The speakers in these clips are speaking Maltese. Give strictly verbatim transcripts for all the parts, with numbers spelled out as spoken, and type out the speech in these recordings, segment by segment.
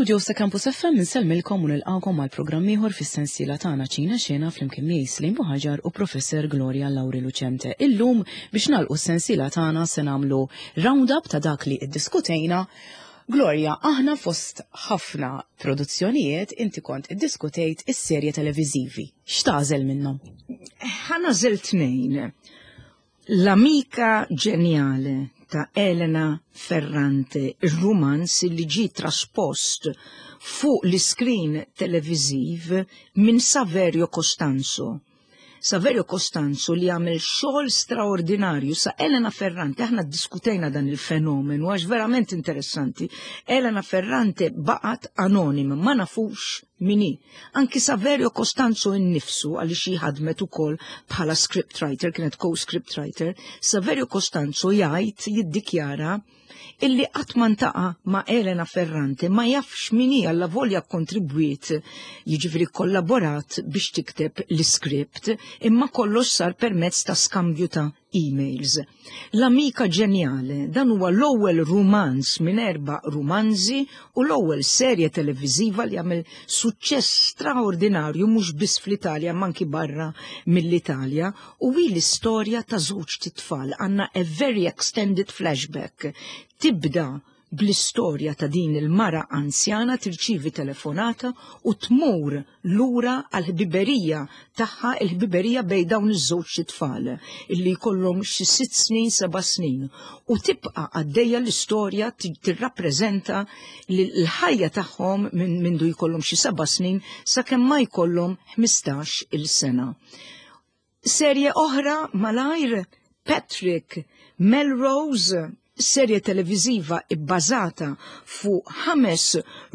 Mill-istudio sa Campus F M insellmilkom u nilqakom għal programm ieħor fis-sensiela tagħna Ċina Xena flimkien miegħi Slim Buhaġar u Professor Gloria Lauri Lucente. Illum, biex nagħlqu s-sensiela tagħna, se nagħmlu round-up ta' dak li iddiskutejna. Gloria, aħna fost ħafna produzzjonijiet inti kont iddiskutejt is-serje televiżivi. X'tagħżel minnhom? Ħa nagħżel tnejn. L'Amica Geniale ta' Elena Ferrante, il-romanz li ġi traspost fuq l-iskrin televiziv minn Saverio Costanzo. Saverio Costanzo li għamel xogħol straordinarju sa Elena Ferrante. Aħna diskutejna dan il-fenomenu għax verament interessanti. Elena Ferrante baqat anonima, ma nafux min hi. Anki Saverio Costanzo innifsu, għaliex ħadmet ukoll bħala scriptwriter, kienet co-scriptwriter, Saverio Costanzo jgħid, jiddikjara illi qatt ma ltaqa' ma' Elena Ferrante, ma jafx min hi, allavolja kontribwiet, jiġifieri kollaborat biex tikteb l-iskript, imma kollox sar permezz ta' skambju ta' emails. L'Amica Geniale, dan huwa l-ewwel rumanz minn erba' rumanzi u l-ewwel serje televiżiva li għamel suċċess straordinarju mhux biss fl-Italja ma anki barra mill-Italja, u hi l-istorja ta' żewġ tfal. Għandna a very extended flashback. Tibda bl-istorja ta' din il-mara anzjana tirċivi telefonata u tmur lura għal-ħbiberija tagħha, il-ħbiberija bejn dawn iż-żewġ tfal illi jkollhom xi sitt snin, seba' snin, u tibqa' għaddejja l-istorja, tirrappreżenta l-ħajja tagħhom minn mindu jkollhom xi seba' snin sakemm ma jkollhom ħmistax il-sena. Serje oħra malajr, Patrick Melrose, serje televiziva ibbażata fuq ħames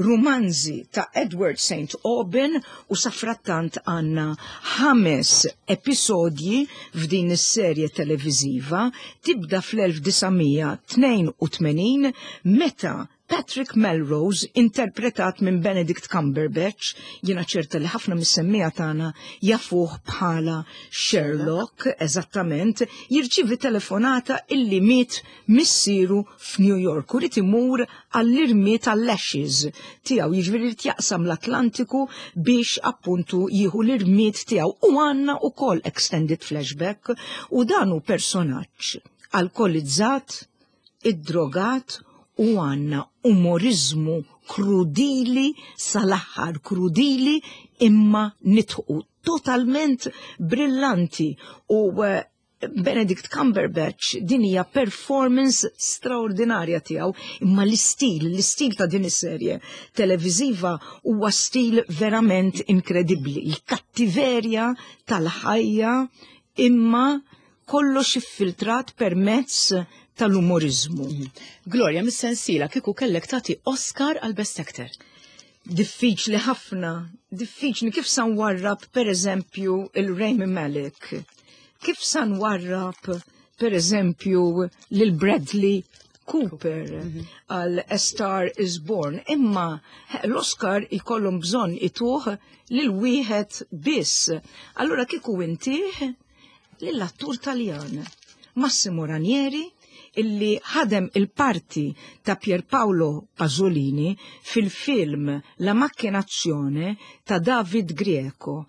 rumanzi ta' Edward Saint Aubyn, u safrattant għandna ħames episodji f'din is-serje televiziva. Tibda fl-elf disa' mija tnejn u tmenin meta Patrick Melrose, interpretat minn Benedict Cumberbatch, jiena ċerta li ħafna mis-semmiegħa tagħna jafuh bħala Sherlock, eżattament, jirċivi telefonata illi miet missieru f'New York u jrid imur għall-irmied, għall-ashes tiegħu, jiġifieri jrid jaqsam l-Atlantiku biex appuntu jieħu l-irmied tiegħu, u għandna ukoll extended flashback u dan hu personaġġ alkolizzat, id-drogat, u għandna umorizmu krudili sal-aħħar, krudili imma nidħku, totalment brillanti, u eh, Benedict Cumberbatch, din hija performance straordinarja tiegħu, imma l-istil, l-istil ta' din is-serje televiżiva huwa stil verament inkredibbli, il-kattiverja tal-ħajja imma kollox iffiltrat permezz tal-umorizmu. Gloria, mis-sensiela kieku kellek tagħti Oscar għal Best Actor. Diffiċli ħafna, diffiċli. Kif sa nwarrab per eżempju il-Rami Malek, kif sa nwarrab per eżempju lil Bradley Cooper għal A Star Is Born, imma l-Oscar ikollhom bżonn ituh lil wieħed biss. Allura kieku intih lill-attur Taljan Massimo Ranieri, illi ħadem il-parti ta' Pierpaolo Pasolini fil-film La Macchinazione ta' David Grieco.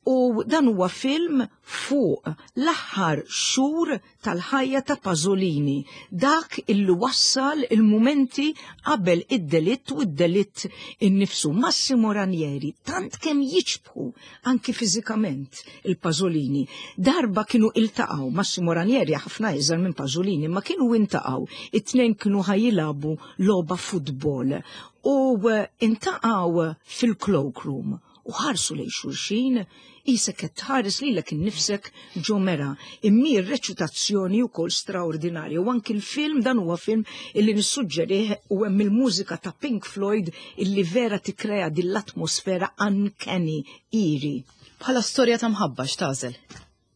U dan huwa film fuq l-aħħar xhur tal-ħajja ta' Pasolini, dak illi wassal il-mumenti qabel id-delitt u id-delitt innifsu. Massimo Ranieri, tant kemm jiċbħu anki fiżikament il-Pasolini. Darba kienu iltaqgħu, Massimo Ranieri ħafna iżgħar minn Pasolini, ma kienu iltaqgħu, it-tnejn kienu ħa jilagħbu logħba futbol u eh, iltaqgħu fil-cloakroom u ħarsu lejn xulxin qisek qed tħares lilek innifsek ġo mera. Imma r-reċitazzjoni wkoll straordinarja, u anki l-film, dan huwa film illi nissuġġerih, u hemm il-mużika ta' Pink Floyd illi vera tikkrea din l-atmosfera uncanny, eerie. Bħala storja ta' mħabba x'tagħżel?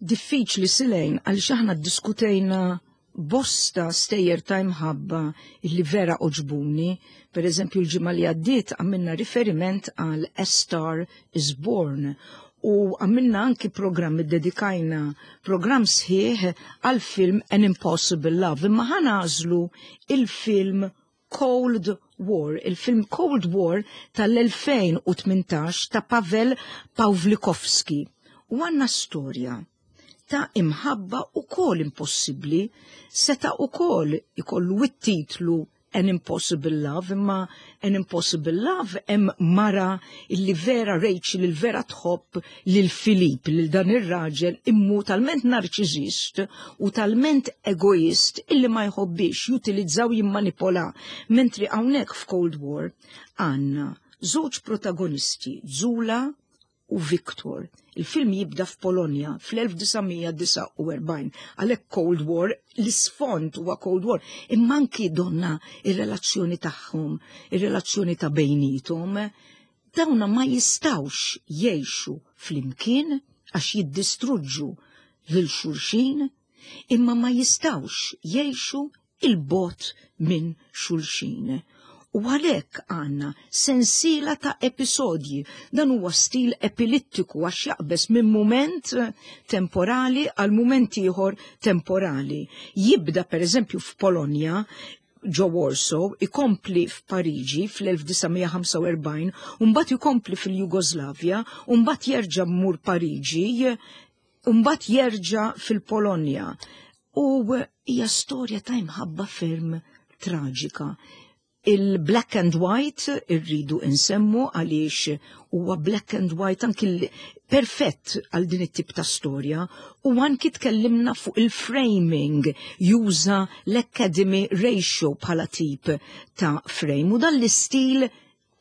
Diffiċli, Silejn, għaliex aħna diskutejna bosta stejjer ta' imħabba illi vera għoġbuni. Per eżempju, l-ġimgħa li għaddiet għamilna riferiment għal A Star Is Born u għamilna anki programm, dedikajna programm sħiħ għal film An Impossible Love, imma ħa nagħżlu il-film Cold War, il-film Cold War tal-elfejn u tmintax ta' Pavel Pawlikowski. U għanna storja ta' imħabba u kol impossibli, seta' u kol ikollu it-titlu An Impossible Love, imma An Impossible Love hemm mara illi vera Rachel, il vera tħobb lil Filip, lil dan ir-raġel immu talment narċiżist u talment egoist illi ma jħobbix jutilizzaw jimmanipola. Mentri hawnhekk f'Cold War għandna żewġ protagonisti, Zula u Victor. Il-film jibda f'Polonja fl-elf disa' mija disgħa u erbgħin, għalhekk Cold War, l-isfond huwa Cold War, imma anki donna ir-relazzjoni tagħhom, ir-relazzjoni ta' bejnietom, dawna ma jistawx jgħixu flimkien għax jiddistruġġu lil xulxin, imma ma jistawx jgħixu il-bot minn xulxin. U għalhekk għandna sensiela ta' episodji. Dan huwa stil epilittiku għax jaqbes minn mument temporali għal mument ieħor temporali. Jibda per eżempju f'Polonja, ġo Warsaw, ikompli f'Pariġi fl-elf disa' mija ħamsa u erbgħin, u mbagħad ikompli fil-Jugoslavja, u mbagħad jerġa' mmur Pariġi, u mbagħad jerġa' fil-Polonja. U hija storja ta' imħabba ferm traġika. Il-black and white irridu insemmu għaliex huwa black and white anki perfett għal din it-tip ta' storja, u anki tkellimna fuq il-framing, juża l-Academy Ratio bħala tip ta' frame, u dan l-istil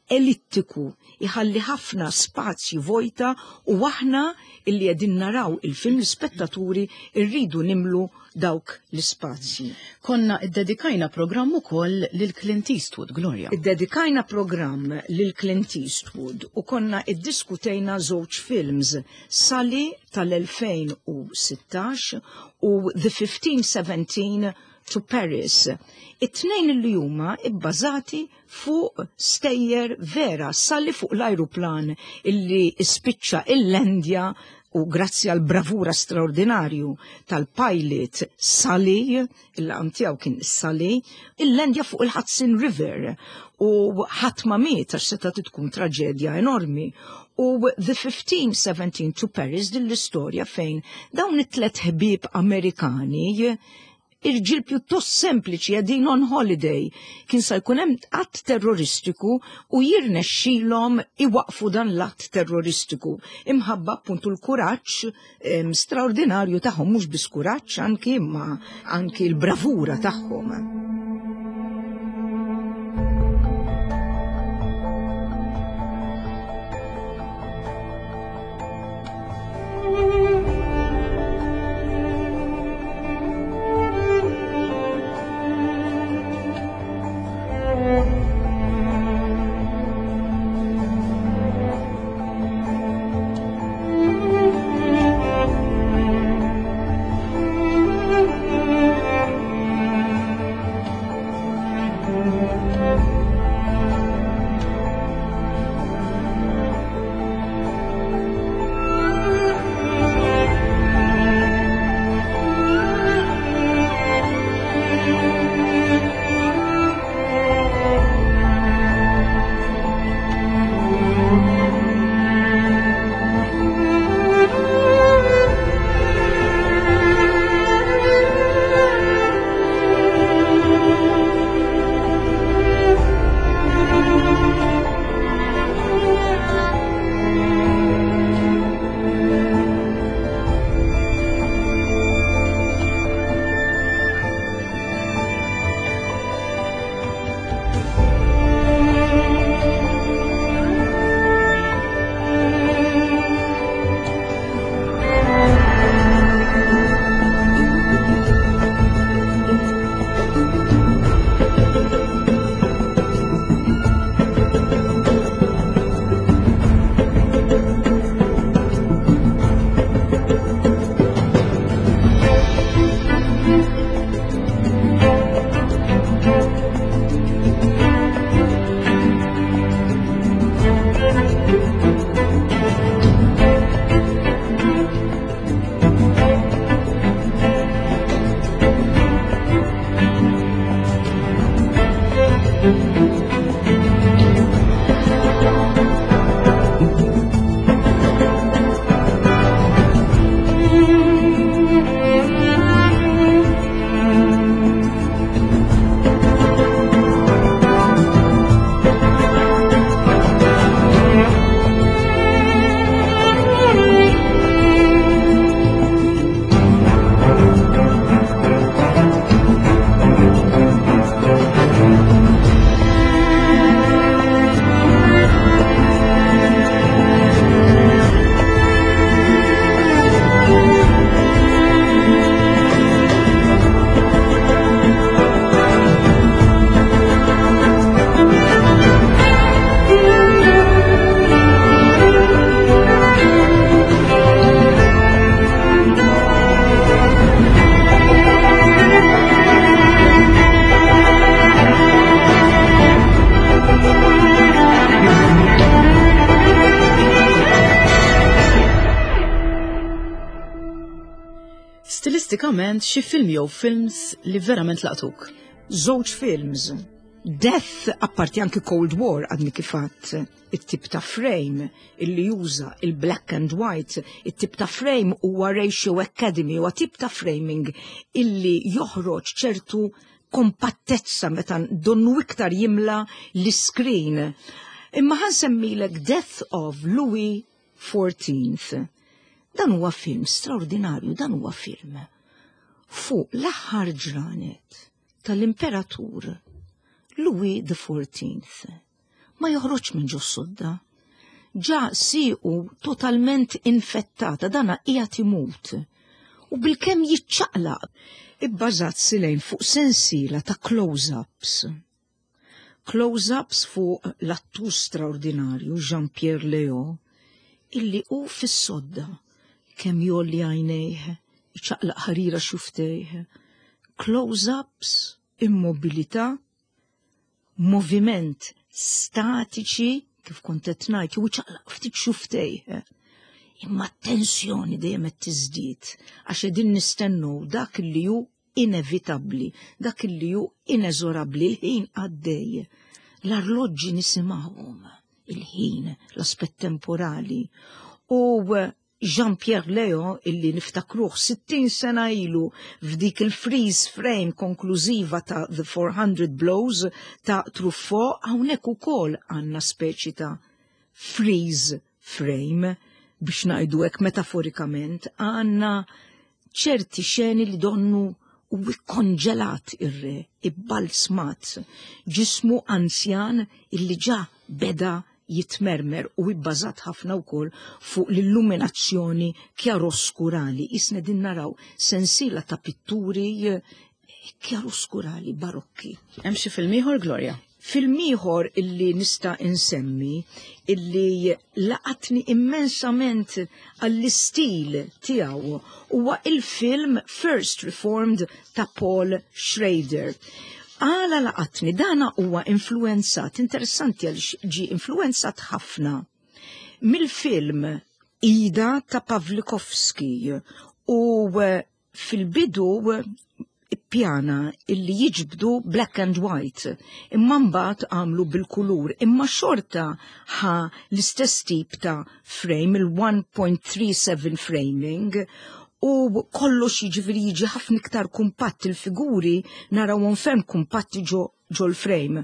ellittiku iħalli ħafna spazji vojta, u aħna illi qegħdin naraw il-film l-ispettaturi irridu nimlu dawk l-ispazji. Konna iddedikajna programm ukoll lil Clint Eastwood, Gloria. Iddedikajna programm lil Clint Eastwood u konna iddiskutejna żewġ films, Sully tal-elfejn u sittax u The fifteen seventeen to Paris. It-tnejn li huma ibbażati fuq stejjer vera, Sully fuq l-ajruplan illi ispiċċa il-Lendja u grazzi għal bravura straordinarju tal-pilot Sully, il-laqam tiegħu kien Sully, il-Lendja fuq il-Hudson River u ħadd ma miet għax seta' tkun traġedja enormi. U The fifteen seventeen to Paris din l-istorja fejn dawn it-tlet ħbieb Amerikani irġiel pjuttost sempliċi għedin on holiday, kien sa jkun hemm att terroristiku u jirnexxilhom iwaqfu dan l-att terroristiku. Imħabba appuntu l-kuraġġ, em, straordinarju tagħhom, mhux biss kuraġġ anki imma anki l-bravura tagħhom. Stilistikament, xi film jew films li verament laqtuk? Żewġ films. Death, apparti anki Cold War, għadni kif għedt, it-tip ta' frame illi juża il-black and white, it-tip ta' frame huwa Ratio Academy, huwa tip ta' framing illi joħroġ ċertu kompattezza meta donnu iktar jimla l-screen. Imma ħa nsemmilek Death of Louis the Fourteenth. Dan huwa film straordinarju, dan huwa film fuq l-aħħar ġranet tal-imperatur Louis the Fourteenth. Ma joħroġ minn ġo sodda. Ġa siqu totalment infettata, dana qiegħed imut. U bilkemm jiċċaqlaq, ibbażat silejn fuq sensiela ta' close-ups. Close-ups fuq l-attur straordinarju Jean-Pierre Léaud, illi hu fis-sodda kemm jgħolli għajnejh, iċaqlaq ħarira xufftejh. Close-ups, immobilità, moviment statiċi, kif kont qed ngħid, jew iċaqlaq ftit xufftejh. Imma tensjoni dejjem qed tiżdied għax qegħdin nistennu dak li hu inevitabbli, dak li hu ineżorabbli, il-ħin għaddej. L-arloġġi nisimgħuhom, il-ħin, l-aspett temporali. U Jean-Pierre Léaud, illi niftakruh sittin sena ilu f'dik il-freeze frame konklużiva ta' The four hundred Blows ta' Truffaut, hawnhekk ukoll għandna speċi ta' freeze frame, biex ngħidu hekk metaforikament, għandna ċerti xeni li donnu u ikkonġelat ir-re, ibbalzmat, ġismu anzjan illi ġa beda jitmermer u ibbażat ħafna wkoll fuq l-illuminazzjoni kjaroskurali. Isna din naraw sensiela ta' pitturi eh, kjaroskurali barokki. Hemm xi film ieħor, Gloria? Film ieħor illi nista' insemmi illi laqatni immensament għall-istil tiegħu huwa il-film First Reformed ta' Paul Schrader. Għala laqatni? Dana huwa influenzat, interessanti għal ġi influenzat ħafna mill-film Ida ta' Pawlikowski u eh, fil-bidu ippjana illi jiġbdu black and white, imma mbagħad għamlu bil-kulur, imma xorta ħa l-istess tip ta' frame, il-one point three seven framing, u kollox jiġifieri jiġi ħafna iktar kumpatt, il-figuri narawhom ferm kumpatti ġo ġo l-frame.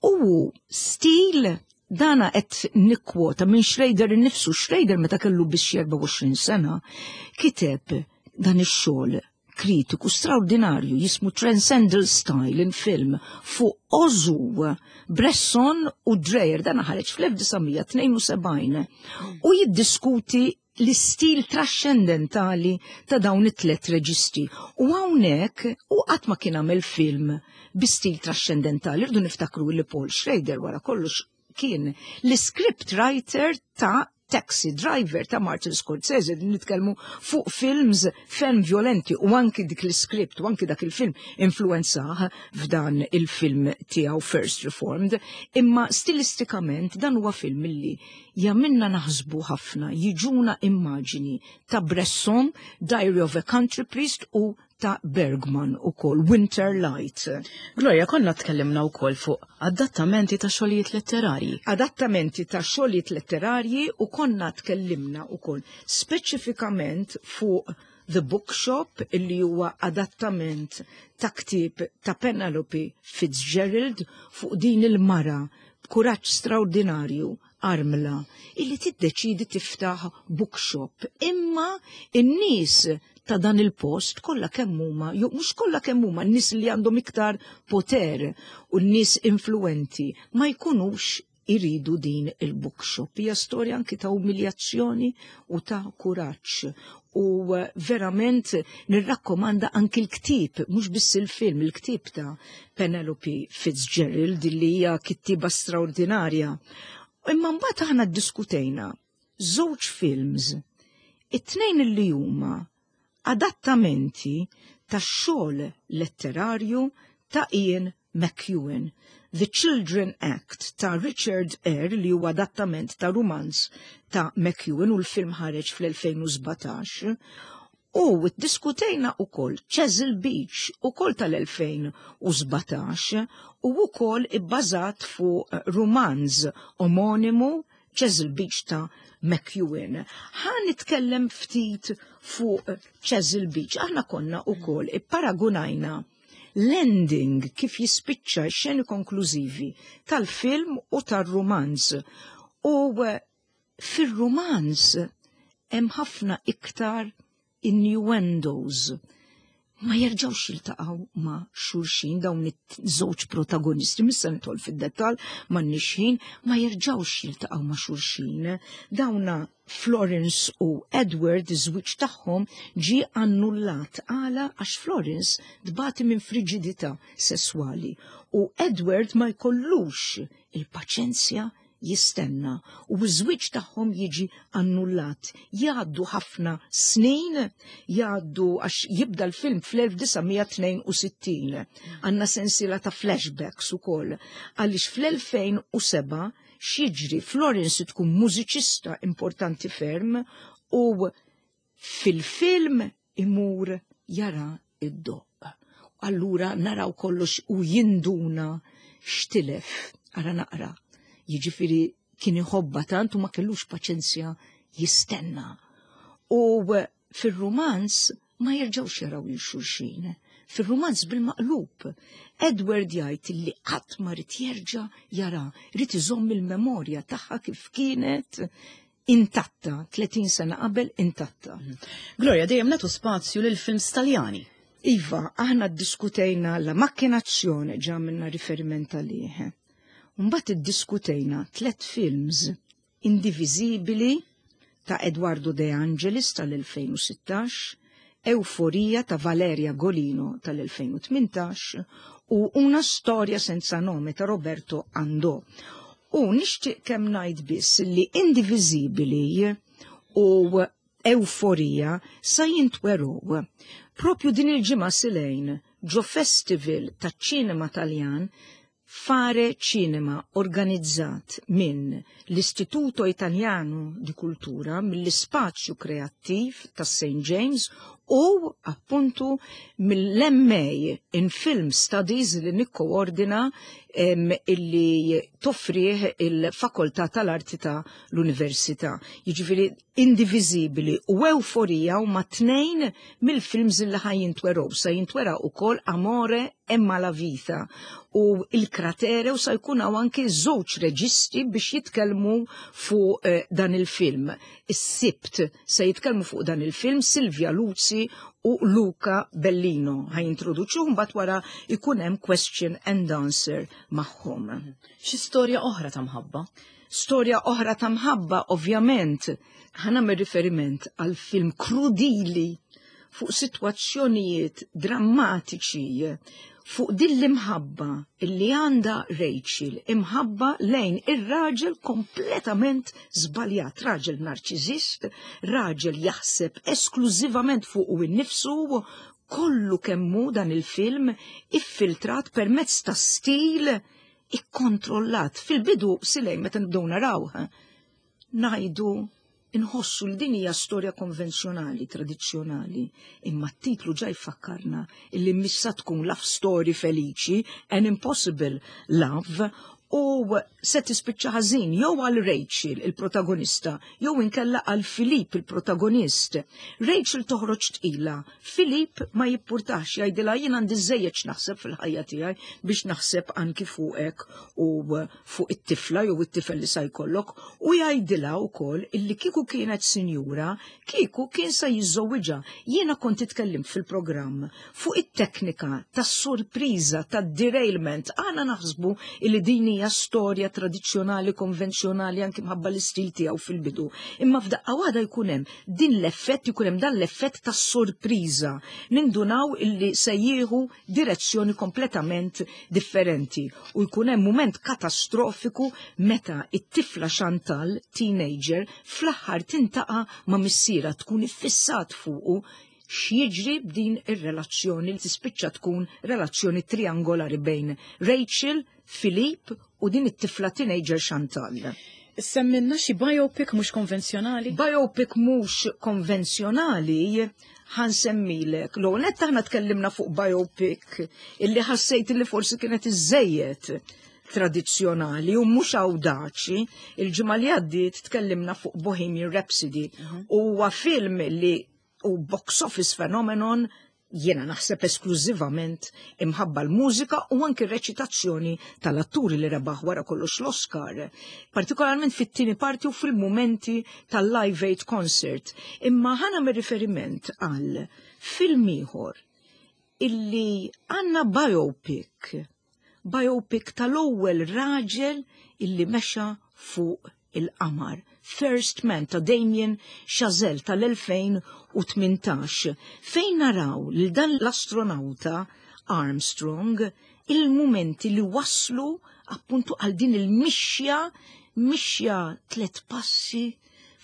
U stil dana qed nikkwota minn Schrader innifsu. Schrader meta kellu biss erbgħa u għoxrin sena kiteb dan ix-xogħol kritiku straordinarju jismu Transcendental Style in Film fuq Ozu, Bresson u Dreyer, dan ħareġ fl-elf disa' mija tnejn u sebgħin u jiddiskuti l-istil trascendentali ta' dawn it-tlet reġisti. U hawnhekk u qatt ma kien għamel film bi stil trascendentali, rridu niftakru li Paul Schrader wara kollox kien l-script writer ta' Taxi Driver ta' Martin Scorsese, nitkellmu fuq films ferm violenti, u anki dik l-script u anki dak il-film influenzah f'dan il-film tiegħu First Reformed, imma stilistikament dan huwa film illi jagħmilna naħsbu ħafna, jiġuna immaġini ta' Bresson, Diary of a Country Priest, u ta' Bergman ukoll, Winter Light. Gloria, konna tkellimna wkoll fuq adattamenti ta' xogħlijiet letterarji. Adattamenti ta' xogħlijiet letterarji, u konna tkellimna ukoll speċifikament fuq The Bookshop, illi huwa adattament ta' ktieb ta' Penelope Fitzgerald fuq din il-mara b'kuraġġ straordinarju, armla, illi tiddeċidi tiftaħ bookshop. Imma in-nies ta' dan il-post kollha kemm huma, jew mhux kollha kemm huma, n-nies li għandhom iktar poter u n-nies influenti ma jkunux iridu din il-bookshop. Hija storja anki ta' umiljazzjoni u ta' kuraġġ. U eh, verament nirrakkomanda anki l-ktib, mhux biss il-film, il-ktib ta' Penelope Fitzgerald, li hija kittiba straordinarja. Imma mbagħad aħna ddiskutejna żewġ films, it-tnejn li huma adattamenti ta' xogħol letterarju ta' Ian McEwan. The Children Act ta' Richard Eyre, li huwa adattament ta' rumanz ta' McEwan u l-film ħareġ fl-elfejn u sbatax, U diskutejna ukoll Chesil Beach, ukoll tal-elfejn u sbatax u ukoll ibbażat fuq romanz omonimu, Chesil Beach ta' McEwan. Ħa nitkellem ftit fuq Chesil Beach. Aħna konna ukoll ipparagunajna l-ending, kif jispiċċa, xeni konklużivi tal-film u tal-romanz. U fil-romanz hemm ħafna iktar innuendos. Ma jerġgħux jiltaqgħu ma' xulxin dawn iż-żewġ protagonisti, missa nidħol fid-dettall, ma nixħin, ma jerġgħux jiltaqgħu ma' xulxin. Dawna Florence u Edward, iż-żwieġ tagħhom ġie annullat. Għala? Għax Florence tbati minn frigidità sesswali u Edward ma jkollux il-paċenzja jistenna u ż-żwieġ tagħhom jiġi annullat. Jgħaddu ħafna snin, jgħaddu għax jibda l-film fl-elf disa' mija tnejn u sittin. Għandna sensiela ta' flashbacks ukoll. Għaliex fl-elfejn u sebgħa x'jiġri? Florence tkun mużiċista importanti ferm u fil-film imur jara id-doq. Allura naraw kollox u jinduna x'tilef. Ara naqra. Jiġifieri kien iħobba tant u ma kellux paċenzja jistenna. U fil-romanz ma jerġgħux jaraw lil xulxin. Fil-romanz bil-maqlub, Edward jgħid li qatt ma rid jerġa' jara, rid iżomm il-memorja tagħha kif kienet intatta, tletin sena qabel intatta. Gloria, dejjem nagħtu spazju lil films Taljani. Iva, aħna ddiskutejna La Macchinazione, ġa minna riferiment għalih. Mbagħad iddiskutejna tlet films: Indivisibili ta' Edoardo De Angelis tal-elfejn u sittax, Euforia ta' Valeria Golino tal-elfejn u tmintax u Una storia senza nome ta' Roberto Andò. U nixtieq kemm ngħid biss li Indivisibili u Euforia sa jintwerow propju din il-ġimgħa, Silejn, ġo festival ta' ċinema Taljan, Fare Cinema, organizzat minn l-Istituto Italiano di Cultura, mill-Ispazju Kreattiv ta' Saint James u appuntu mill-M A in Film Studies li nikkoordina, illi toffrih il-Fakoltà tal-Arti ta' l-Università. Jiġifieri Indivisibili u Euforija huma tnejn mill-films li ħa jintwerow. Sa jintwera ukoll Amore e Malavita u Il Cratere u sa jkun hawn anke żewġ reġisti biex jitkellmu fuq eh, dan il-film. Is-Sibt se jitkellmu fuq dan il-film Silvia Luzzi u Luca Bellino. Ħa jintroduċu, mbagħad wara ikun hemm question and answer magħhom. Xi storja oħra ta' mħabba? Storja oħra ta' mħabba, ovvjament, ħa nagħmel riferiment għal film krudili fuq sitwazzjonijiet drammatiċi, fuq din l-imħabba illi għandha Rachel, imħabba lejn ir-raġel kompletament żbaljat, raġel narċizist, raġel jaħseb esklużivament fuq u innifsu, kollu kemmu dan il-film iffiltrat permezz ta' stil ikkontrollat. Fil-bidu, Silejn, meta nibdew naraw, ngħidu, inħossu li din hija storja konvenzjonali, tradizzjonali, imma t-titlu ġa jfakkarna illi missa tkun love story feliċi, an impossible love, u se tispiċċa ħażin jew għal Rachel, il-protagonista, jew inkella għal Filip, il-protagonist. Rachel toħroġ tqila, Filip ma jippurtax, jgħidilha: "Jien għandi żejjed naħseb fil-ħajja tiegħi biex naħseb anki fuqek u fuq it-tifla jew it-tifel li sa jkollok", u jgħidilha wkoll illi kieku kienet sinjura, kieku kien sa jiżżewwiġha. Jiena kont itkellimt fil-programm fuq it-teknika tas-sorpriża, tad-derailment. Aħna naħsbu illi din hija storja tradizzjonali, konvenzjonali, anki mħabba l-istil tiegħu fil-bidu. Imma f'daqqa waħda jkun hemm din l-effett, jkun hemm dan l-effett tas sorpriża. Nindunaw illi se jieħu direzzjoni kompletament differenti u jkun hemm mument katastrofiku meta it-tifla Chantal, teenager, fl-aħħar tiltaqa' ma' missierha, tkun iffissat fuqu. X'jiġri b'din ir-relazzjoni li tispiċċa tkun relazzjoni triangolari bejn Rachel, Philippe u din it-tifla teenager Chantal? Semmilna xi biopic mhux konvenzjonali? Biopic mhux konvenzjonali ħa nsemmilek. L nett aħna tkellimna fuq biopic illi ħassejt illi forsi kienet iżejjed tradizzjonali u mhux awdaċi. Il-ġimgħa li għaddiet tkellimna fuq Bohemian Rhapsody. Huwa film li u box office phenomenon, jiena naħseb esklużivament imħabba l-mużika u anki reċitazzjoni tal-atturi li rebaħ wara kollox l-Oscar, partikolarment fit-tieni parti u fil-momenti tal-Live Aid concert. Imma ħa nagħmel riferiment għal film ieħor illi għandna biopic, biopic tal-ewwel raġel illi mexa fuq il-qamar. First Man ta' Damien Chazelle tal-elfejn u tmintax, fejn naraw li dan l-astronauta Armstrong, il-momenti li waslu appuntu għal din il-mixja, mixja tlet passi,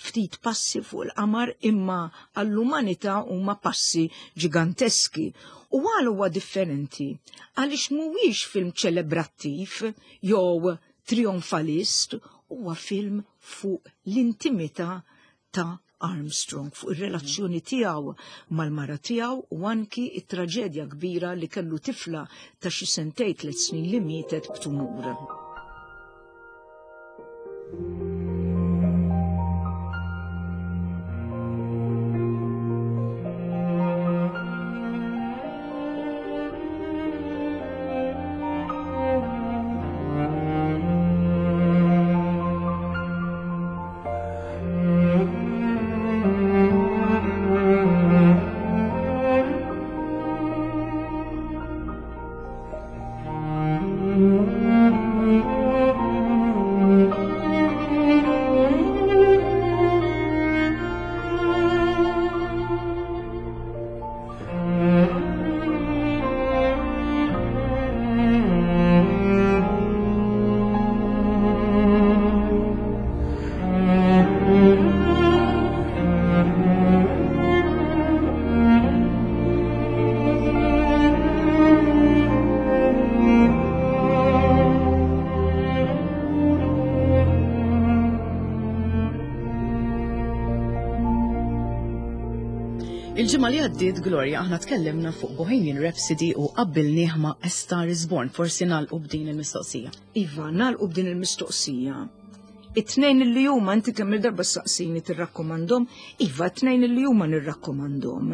ftit passi fuq il-qamar, imma għall-umanità huma passi ġiganteski. U għal huwa differenti, għaliex mhuwiex film ċelebrattiv jew trionfalist, huwa film fuq l-intimità ta' Armstrong, fuq ir-relazzjoni tiegħu mal-mara tiegħu u anki it-traġedja kbira li kellu tifla ta' xi sentejn, tliet snin li mietet b'tumur. Il-ġimgħa li għaddiet, Gloria, aħna tkellimna fuq Bohemian Rhapsody u qabbilnieh ma' A Star is Born. Forsi nagħlqu b'din il-mistoqsija. Iva, nagħlqu b'din il-mistoqsija. It-tnejn li huma, inti kemm il-darba saqsini tirrakkomandhom, iva, it-tnejn li huma nirrakkomandhom.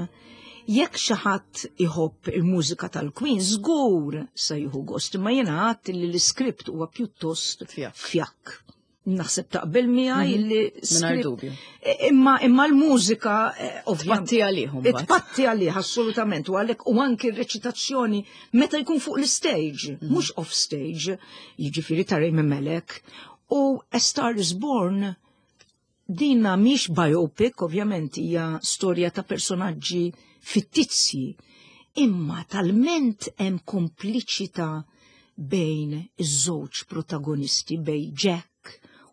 Jekk xi ħadd iħobb il-mużika tal-Queen, żgur se jieħu gost, imma jiena għadt li l-iskript huwa pjuttost fjakk. Fjakk. Naħseb taqbel miegħi Mhm. li Mingħajr script- dubju. Imma imma l-mużika eh, ovvjament Tpatti għalihom mbagħad. Tpatti għalih, assolutament, u għalhekk u anki r-reċitazzjoni meta jkun fuq l-stage, mhux off stage, jiġifieri ta' Rami Malek. U A Star is Born dina mhix biopic, ovvjament hija storja ta' personaġġi fittizji, imma talment hemm kompliċità bejn iż-żewġ protagonisti, bejn Jack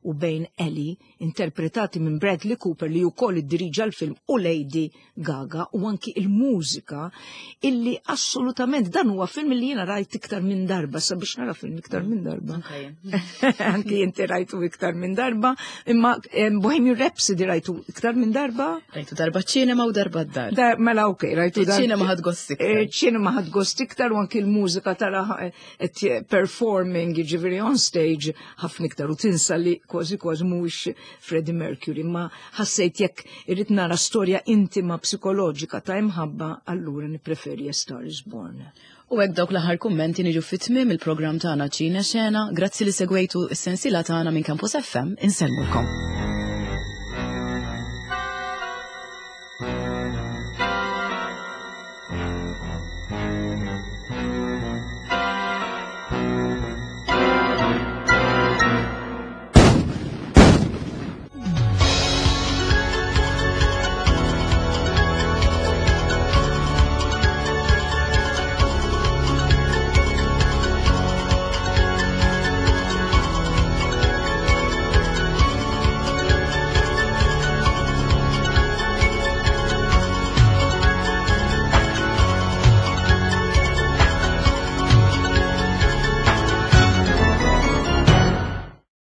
u bejn Ellie, interpretati minn Bradley Cooper li wkoll iddiriġa l-film u Lady Gaga, u anki il-mużika, illi assolutament dan huwa film li jiena rajt iktar minn darba, sabiex nara film iktar minn darba. Anke jien. Anki inti rajtu iktar minn darba, imma em, Bohemian Rhapsody rajtu iktar minn darba? Rajtu darba ċinema u darba d-dar. Da, mela ok, rajtu dar. Iċ-ċinema ħadt gost iktar. Eh, ċinema ħadt gost iktar u anki l-mużika tara eh, qed performing, jiġifieri on stage ħafna iktar u tinsa li kważi kważi mhuwiex Freddie Mercury, ma ħassejt jekk irrid nara storja intima psikoloġika ta' imħabba, allura nippreferi A Star is Born. U hekk dawk l-aħħar kummenti niġu fit-tmiem il-programm tagħna Ċina Xena. Grazzi li segwejtu s-sensiela tagħna minn Campus F M. Insellmulkom.